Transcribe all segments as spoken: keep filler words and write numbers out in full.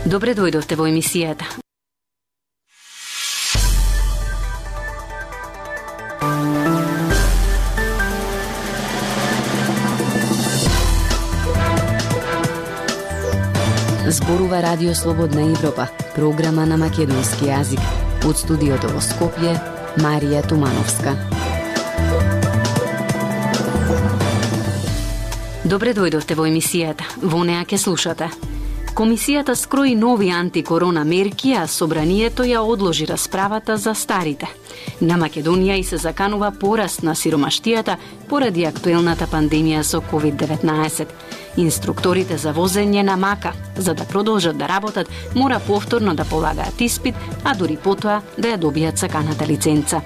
Добре дојдовте во емисијата. Зборува Радио Слободна Европа, програма на македонски јазик. Од студиото во Скопје, Марија Тумановска. Добре дојдовте во емисијата. Во неа ќе слушате. Комисијата скрои нови антикорона мерки, а собранието ја одложи расправата за старите. На Македонија и се заканува пораст на сиромаштијата поради актуелната пандемија со ковид деветнаесет. Инструкторите за возење на мака, за да продолжат да работат, мора повторно да полагаат испит, а дури потоа да ја добијат саканата лиценца.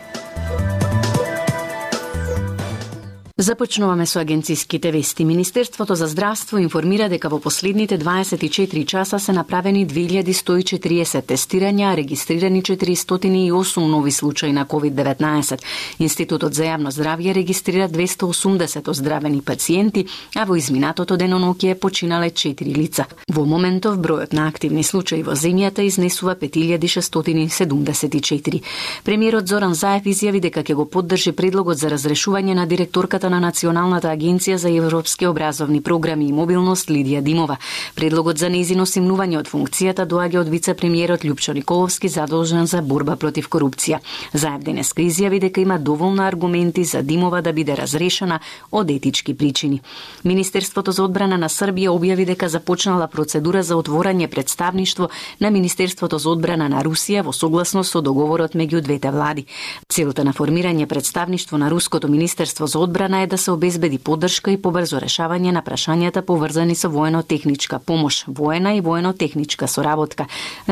Започнуваме со агенциските вести. Министерството за здравство информира дека во последните дваесет и четири часа се направени две илјади сто и четириесет тестирања, а регистрирани четиристотини и осум нови случаи на ковид деветнаесет. Институтот за јавно здравје регистрира двесте и осумдесет оздравени пациенти, а во изминатото деноноќе починале четири лица. Во моментов бројот на активни случаи во земјата изнесува пет илјади шестстотини седумдесет и четири. Премиерот Зоран Заев изјави дека ќе го поддржи предлогот за разрешување на директорката на Националната агенција за европски образовни програми и мобилност Лидија Димова. Предлогот за нејзино симнување од функцијата доаѓа од вице-премиерот Љупчо Николовски, задолжен за борба против корупција. Заев денеска изјави дека има доволно аргументи за Димова да биде разрешена од етички причини. Министерството за одбрана на Србија објави дека започнала процедура за отворање представништво на Министерството за одбрана на Русија во согласност со договорот меѓу двете влади. Целта на формирање представништво на Руското Министерство за одбрана е да се обезбеди поддршка и побрзо решавање на прашањата поврзани со воено-техничка помош, воена и воено-техничка соработка,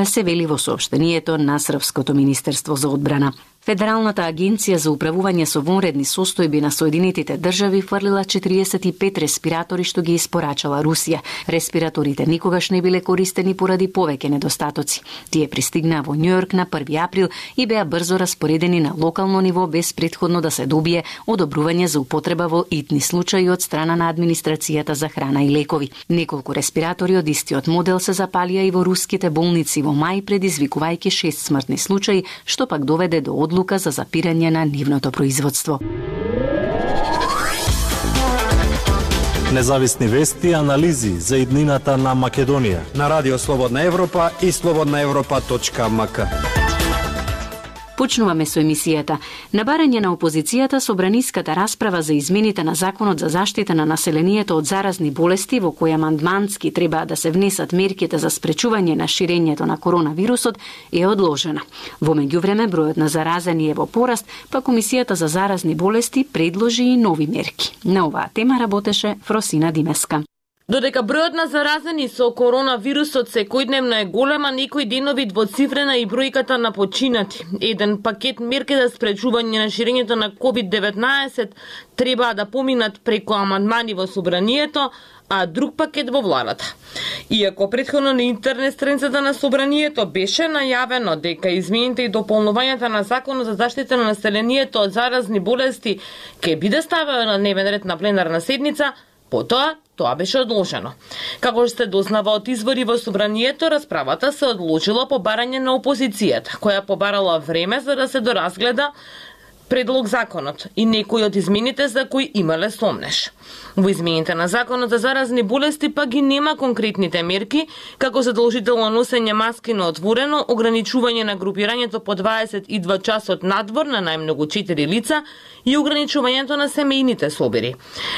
се вели во соопштението на Српското Министерство за одбрана. Федералната агенција за управување со вонредни состојби на Соединетите држави фрлила четириесет и пет респиратори што ги испорачала Русија. Респираторите никогаш не биле користени поради повеќе недостатоци. Тие пристигнаа во Њујорк на први април и беа брзо распоредени на локално ниво без претходно да се добие одобрување за употреба во итни случаи од страна на администрацијата за храна и лекови. Неколку респиратори од истиот модел се запалија и во руските болници во мај, предизвикувајќи шест смртни случаи, што пак доведе до одлука за запирање на нивното производство. Независни вести и анализи за иднината на Македонија на Радио Слободна Европа и слободна европа точка ем ка. Почнуваме со емисијата. На барање на опозицијата, собраниската расправа за измените на Законот за заштита на населението од заразни болести, во која амандмански треба да се внесат мерките за спречување на ширењето на коронавирусот, е одложена. Во меѓувреме бројот на заразени е во пораст, па Комисијата за заразни болести предложи и нови мерки. На оваа тема работеше Фросина Димеска. Додека бројот на заразени со коронавирусот секојдневно е голема, некои денови двоцифрена и бројката на починати. Еден пакет мерки за спречување на ширењето на ковид деветнаесет треба да поминат преку амандмани во собранието, а друг пакет во владата. Иако претходно на интернет страницата на собранието беше најавено дека измените и дополнувањата на Законот за заштита на населението од заразни болести ќе биде ставено на дневен ред на пленарна седница, потоа тоа беше одложено. Како што се дознава од извори во собранието, расправата се одложила по барање на опозицијата, која побарала време за да се доразгледа предлог законот и некои од измените за кои имале сомнеш. Во измените на Законот за заразни болести па ги нема конкретните мерки, како задолжително носење маски на отворено, ограничување на групирањето по дваесет и два часот надвор на најмногу четири лица и ограничувањето на семејните собери.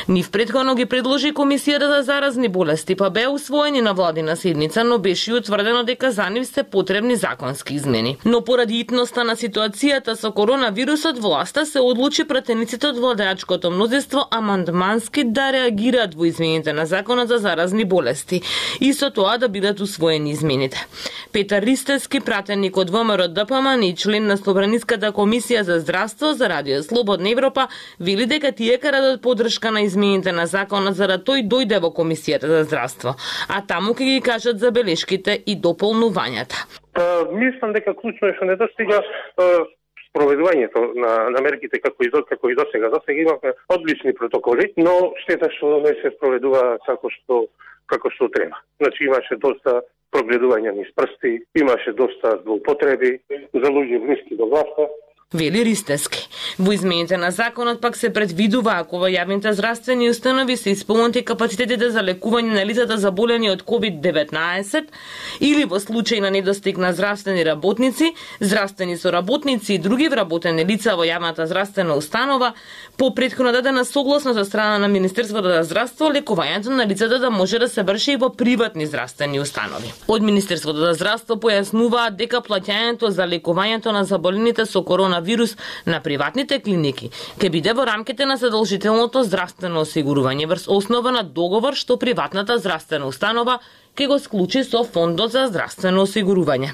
Нив претходно ги предложи Комисијата за заразни болести, па беа усвоени на владина седница, но беше утврдено дека за нив се потребни законски измени. Но поради итноста на ситуацијата со коронавирусот, власта се одлучи пратениците од владеачкото мнозинство амандмански да реагираат во измените на Законот за заразни болести и со тоа да бидат усвоени измените. Петар Ристевски, пратеник од ВМРО Д П М и член на Собраниската комисија за здравство за Радио Слободна Европа, вели дека тие крадат поддршка на измените на Законот за да тој дојде во Комисијата за здравство, а таму ќе ги кажат забелешките и дополнувањата. Па, мислам дека клучно е што недостига спроведувањето на, на мерките како и до како и досега. Досега имавме одлични протоколи, но штета што не се спроведува како што како што треба. Значи имаше доста прогледување низ прсти, имаше доста злоупотреби за луѓе блиски до власта. Вели Ристевски. Во измените на законот пак се предвидува ако во јавните здравствени установи се исполнети капацитетите за лекување на лицата заболени од ковид деветнаесет или во случај на недостиг на здравствени работници, здравствени соработници и други вработени лица во јавната здравствена установа, по претходно дадена согласност од страна на Министерството за здравство, лекувањето на лицата да може да се врши и во приватни здравствени установи. Од Министерството за здравство појаснуваат дека плаќањето за лекувањето на заболените со коронавирус на приватните клиники ќе биде во рамките на задолжителното здравствено осигурување врз основа на договор што приватната здравствена установа ќе го склучи со Фондот за здравствено осигурување.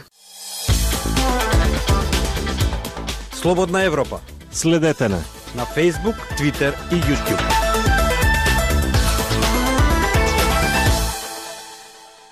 Слободна Европа. Следете на на Facebook, Twitter и YouTube.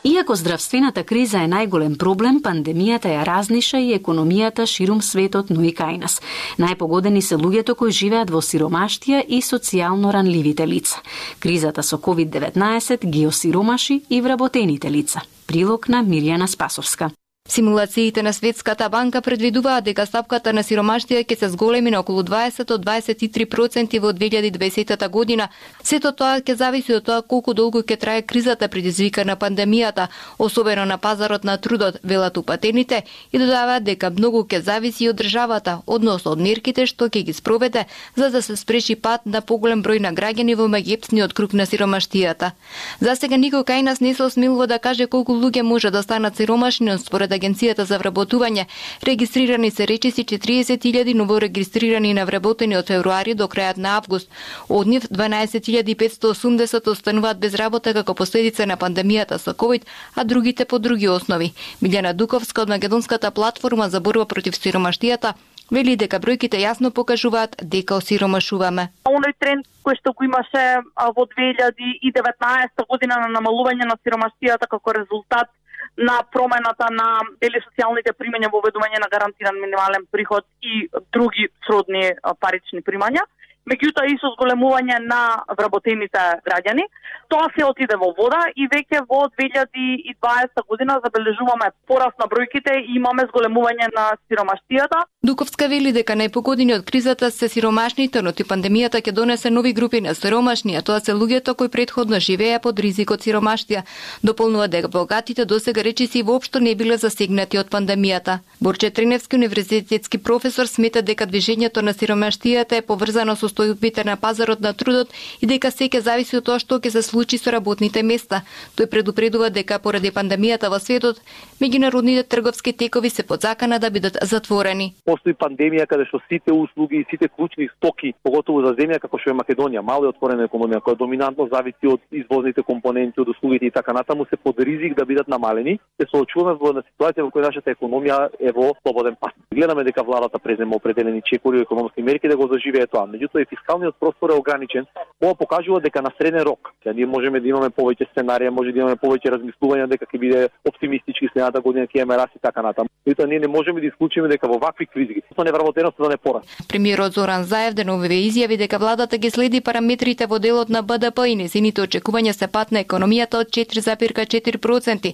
Иако здравствената криза е најголем проблем, пандемијата ја разниша и економијата ширум светот, но и кај нас. Најпогодени се луѓето кои живеат во сиромаштија и социјално ранливите лица. Кризата со ковид деветнаесет ги осиромаши и вработените лица. Прилог на Мирјана Спасовска. Симулациите на Светската банка предвидуваат дека стапката на сиромаштија ќе се зголеми на околу дваесет до дваесет и три проценти во две илјади и дваесета година. Сето тоа ќе зависи од тоа колку долго ќе трае кризата предизвикана пандемијата, особено на пазарот на трудот, велат упатените, и додаваат дека многу ќе зависи од државата, односно од мерките што ќе ги спроведе за да се спреши пат на поголем број на граѓани во меѓепсниот круг на сиромаштијата. Засега никој кај нас не се осмелува да каже колку луѓе може да станат сиромашни, но според Агенцијата за вработување, регистрирани се речиси четириесет илјади новорегистрирани на вработени од февруари до крајот на август. Од нив дванаесет илјади петстотини и осумдесет остануваат без работа како последица на пандемијата со ковид, а другите по други основи. Милјана Дуковска од Македонската платформа за борба против сиромаштијата вели дека бројките јасно покажуваат дека осиромашуваме. Оној тренд кој што го имаше во две илјади и деветнаесета година на намалување на сиромаштијата како резултат на промената на дели социјалните примања во введување на гарантиран минимален приход и други сродни парични примања, меѓутоа и со зголемување на вработените граѓани, тоа се отиде во вода и веќе во две илјади и дваесета година забележуваме пораст на бројките и имаме зголемување на сиромаштијата. Дуковска вели дека најпогодени од кризата се сиромашните, но ти пандемијата ќе донесе нови групи на сиромашни, а тоа се луѓето кои претходно живееа под ризик од сиромаштија. Дополнува дека богатите досега речиси воопшто не биле засегнати од пандемијата. Борче Треневски, универзитетски професор, смета дека движењето на сиромаштијата е поврзано со состојбите на пазарот на трудот и дека се ќе зависи од тоа што ќе се случи со работните места. Тој предупредува дека поради пандемијата во светот, меѓународните трговски текови се под закана да бидат затворени. Постои пандемија каде што сите услуги и сите клучни стоки, поготово за земја како што е Македонија, мала и отворена економија која доминантно зависи од извозните компоненти, од услугите и така натаму, се под ризик да бидат намалени. Се соочуваме во една ситуација во која нашата економија е во слободен пат. Гледаме дека владата презема определени чекори и економски мерки да го заживее тоа. Меѓутоа и фискалниот простор е ограничен. Ова покажува дека на среден рок, ќе ние можеме да имаме повеќе сценарија, може да имаме повеќе размислувања дека ќе биде оптимистички следната година, ќе имаме раст и така натаму. Меѓутоа ние не можеме да исклучиме дека во вакви кризи со невработеноста да не пораст. Премиерот Зоран Заев деновиве изјави дека владата ги следи параметрите во делот на Б Д П и незините очекувања се пат на економијата од четири зарез четири проценти.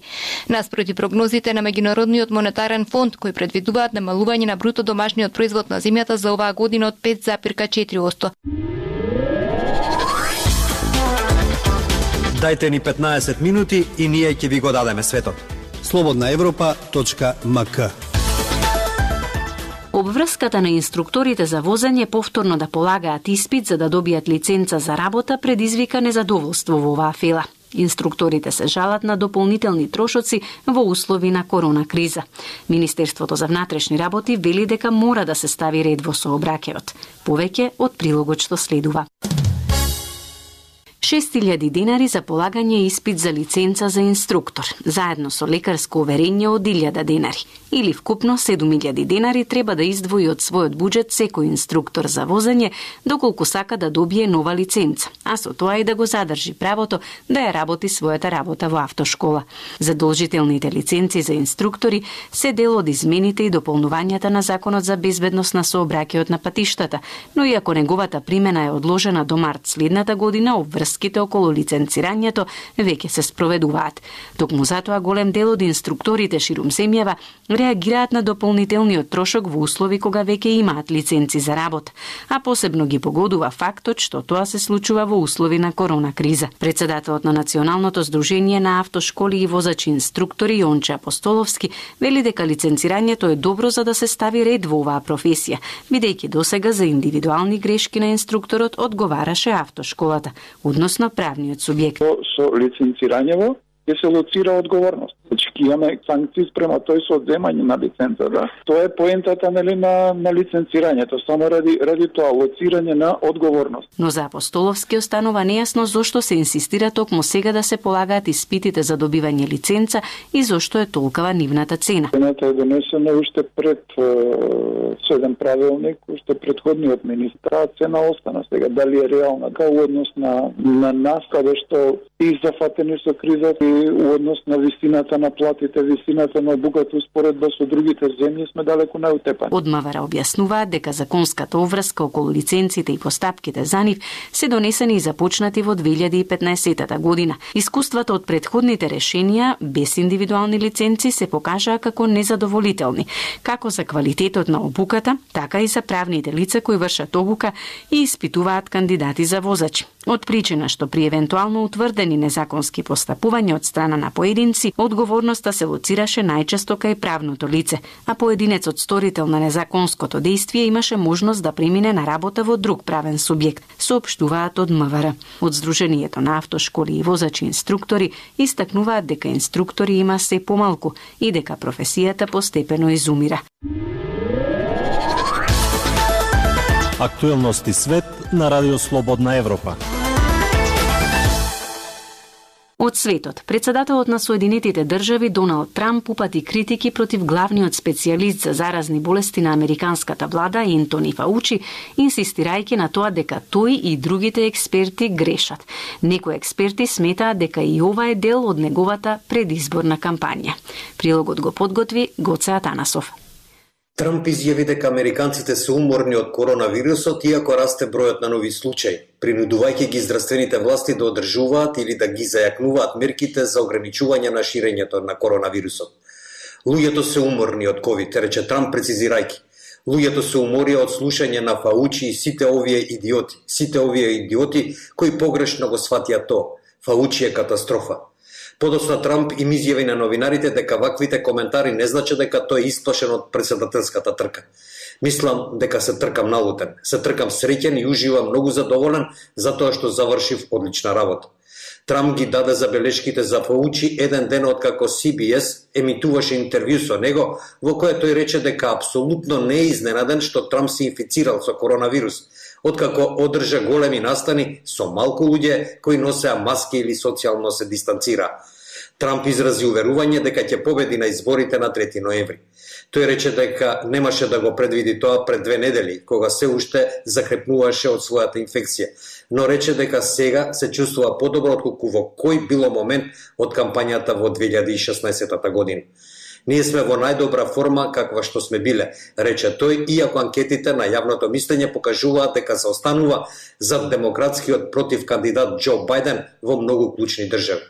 Наспроти прогнозите на Меѓународниот монетарен фонд кои предвидуваат намалување на бруто домашниот производ на земјата за оваа година од пет зарез четири проценти. Дајте ни петнаесет минути и ние ќе ви го дадеме светот. слободна европа точка м к. Обврската на инструкторите за возење повторно да полагаат испит за да добијат лиценца за работа предизвика незадоволство во оваа фела. Инструкторите се жалат на дополнителни трошоци во услови на корона криза. Министерството за внатрешни работи вели дека мора да се стави ред во сообраќајот. Повеќе од прилогот што следува. шест илјади денари за полагање испит за лиценца за инструктор, заедно со лекарско уверение од илјада денари. Или вкупно седум илјади денари треба да издвои од својот буџет секој инструктор за возење, доколку сака да добие нова лиценца, а со тоа и да го задржи правото да ја работи својата работа во автошкола. Задолжителните лиценци за инструктори се дел од измените и дополнувањата на Законот за безбедност на сообраќајот на патиштата, но иако неговата примена е одложена до март следната година, обврската враските околу лиценцирањето веќе се спроведуваат. Токму затоа голем дел од инструкторите ширум земјава реагираат на дополнителниот трошок во услови кога веќе имаат лиценци за работа, а посебно ги погодува фактот што тоа се случува во услови на корона криза. Председателот на Националното здружение на автошколи и возачи инструктори Јонче Апостоловски вели дека лиценцирањето е добро за да се стави ред во оваа професија, бидејќи досега за индивидуални грешки на инструкторот одговараше автошколата, односно правниот субјект. Со лиценцирањево ќе се лоцира одговорност. Значи ќе имаме санкции спрема тој со одземање на лиценца, да. Тоа е поентата нели на на лиценцирањето, само ради ради тоа лоцирање на одговорност. Но за Апостоловски останува нејасно зошто се инсистира токму сега да се полагаат испитите за добивање лиценца и зошто е толкова нивната цена. Цената е донесена уште пред со еден правилник, уште предходниот министар, а цена остана сега. Дали е реална као однос на на нас каде што и зафатени со кризата и однос на висината на платите, висината на обуката успоредба со другите земји сме далеку наутепани. Од МВР објаснуваат дека законската обврска околу лиценците и постапките за нив се донесени и започнати во две илјади и петнаесетата година. Искуствата од предходните решенија без индивидуални лиценци се покажаа како незадоволителни, како за квалитетот на обуката, така и за правните лица кои вршат обука и испитуваат кандидати за возачи. Од причина што при евентуално утврдени незаконски постапувања од страна на поединци, одговорноста се лоцираше најчесто кај правното лице, а поединецот сторител на незаконското дејствие имаше можност да премине на работа во друг правен субјект, соопштуваат од МВР. Од Здруженијето на автошколи и возачи инструктори истакнуваат дека инструктори има се помалку и дека професијата постепено изумира. Актуелности свет на Радио Слободна Европа. Од светот, председателот на Соединетите држави Доналд Трамп упати критики против главниот специјалист за заразни болести на американската влада Ентони Фаучи, инсистирајќи на тоа дека тој и другите експерти грешат. Некои експерти сметаат дека и ова е дел од неговата предизборна кампања. Прилогот го подготви Гоце Атанасов. Трамп изјави дека американците се уморни од коронавирусот, иако расте бројот на нови случаи, принудувајќи ги здравствените власти да одржуваат или да ги зајакнуваат мерките за ограничување на ширењето на коронавирусот. Луѓето се уморни од ковид, рече Трамп прецизирајќи. Луѓето се уморија од слушање на Фаучи и сите овие идиоти, сите овие идиоти кои погрешно го сватија тоа. Фаучи е катастрофа. Подоцна Трамп им изјави на новинарите дека ваквите коментари не значат дека тој е исплашен од претседателската трка. Мислам дека се тркам налутен, се тркам среќен и уживам многу задоволен затоа што завршив одлична работа. Трамп ги даде забелешките за Фаучи еден ден откако Си Би Ес емитуваше интервју со него, во кое тој рече дека апсолутно не е изненаден што Трамп се инфицирал со коронавирус, откако одржа големи настани со малку луѓе кои носеа маски или социјално се дистанцира. Трамп изрази уверување дека ќе победи на изборите на трети ноември. Тој рече дека немаше да го предвиди тоа пред две недели, кога се уште закрепнуваше од својата инфекција, но рече дека сега се чувствува подобро отколку во кој било момент од кампањата во две илјади и шеснаесетата година. Ние сме во најдобра форма каква што сме биле, рече тој, иако анкетите на јавното мислење покажуваат дека се останува зад демократскиот против кандидат Џо Бајден во многу клучни држави.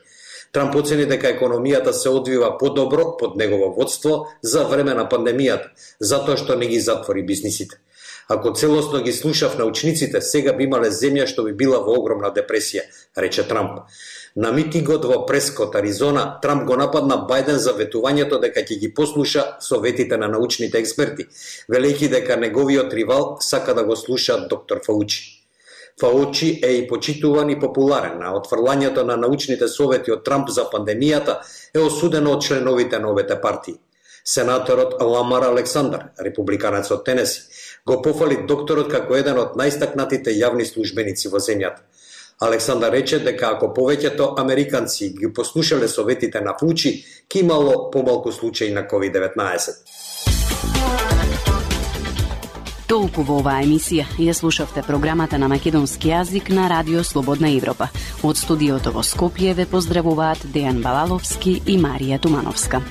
Трамп оцени дека економијата се одвива подобро под негово водство за време на пандемијата, затоа што не ги затвори бизнисите. Ако целосно ги слушав научниците, сега би имале земја што би била во огромна депресија, рече Трамп. На митингот во Прескот, Аризона, Трамп го нападна Бајден за ветувањето дека ќе ги послуша советите на научните експерти, велејќи дека неговиот ривал сака да го слуша доктор Фаучи. Фаучи е и почитуван и популарен, а отфрлањето на научните совети од Трамп за пандемијата е осудено од членовите на обете партии. Сенаторот Ламар Александар, републиканец од Тенеси, го пофали докторот како еден од најстакнатите јавни службеници во земјата. Александар рече дека ако повеќето американци ги послушале советите на Фаучи, ќе имало помалку случаи на ковид деветнаесет. Толку во оваа емисија. Ја слушавте програмата на македонски јазик на Радио Слободна Европа. Од студиото во Скопје ве поздравуваат Дејан Балаловски и Марија Тумановска.